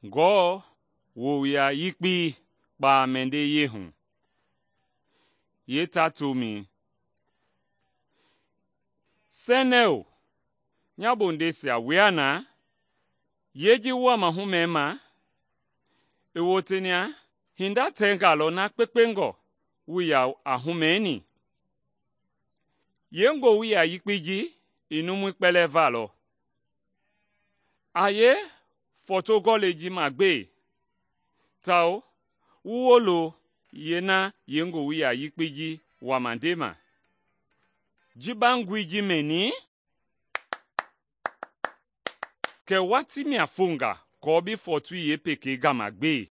Ngewɔ wowia yekpei kpaa mɛndɛi hu. Yeeta-tomɛi. Sɛnɛo, nya bondeisia wua na? Yee ji wuaa mahu mɛma? I wotenia hinda tɛnga lɔ na kpekpengɔ wuii yaa a humɛni. Yee-ngowili yekpei ji i numui kpɛlɛɛ va lɔ? A yee fɔɔto-gɔlɛi ji magbe? Tawao wu wolo yeena yee-ngowili yekpei ji wama ndema. Ji ba ngoi ji mɛni? Kɛ watii mia fonga aako bi fɔɔtoi yeepekei gama gbe.